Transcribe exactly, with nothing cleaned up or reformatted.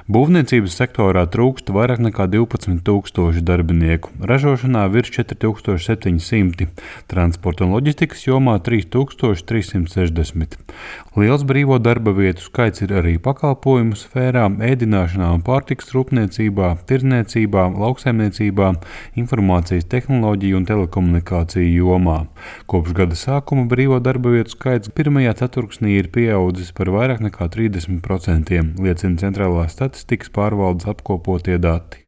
Būvniecības sektorā trūkst vairāk nekā divpadsmit tūkstoši darbinieku, ražošanā virs četri tūkstoši septiņi simti, transporta un loģistikas jomā trīs tūkstoši trīs simti sešdesmit. Liels brīvo darba vietu skaits ir arī pakalpojumu sfērā, ēdināšanā un pārtikas rūpniecībā, tirdzniecībā, lauksaimniecībā, informācijas tehnoloģiju un telekomunikāciju jomā. Kopš gada sākuma brīvo darba vietu skaits pirmajā ceturksnī ir pieaudzis par vairāk nekā trīsdesmit procentiem, liecina Centrālās statistikas pārvaldes apkopotie dati.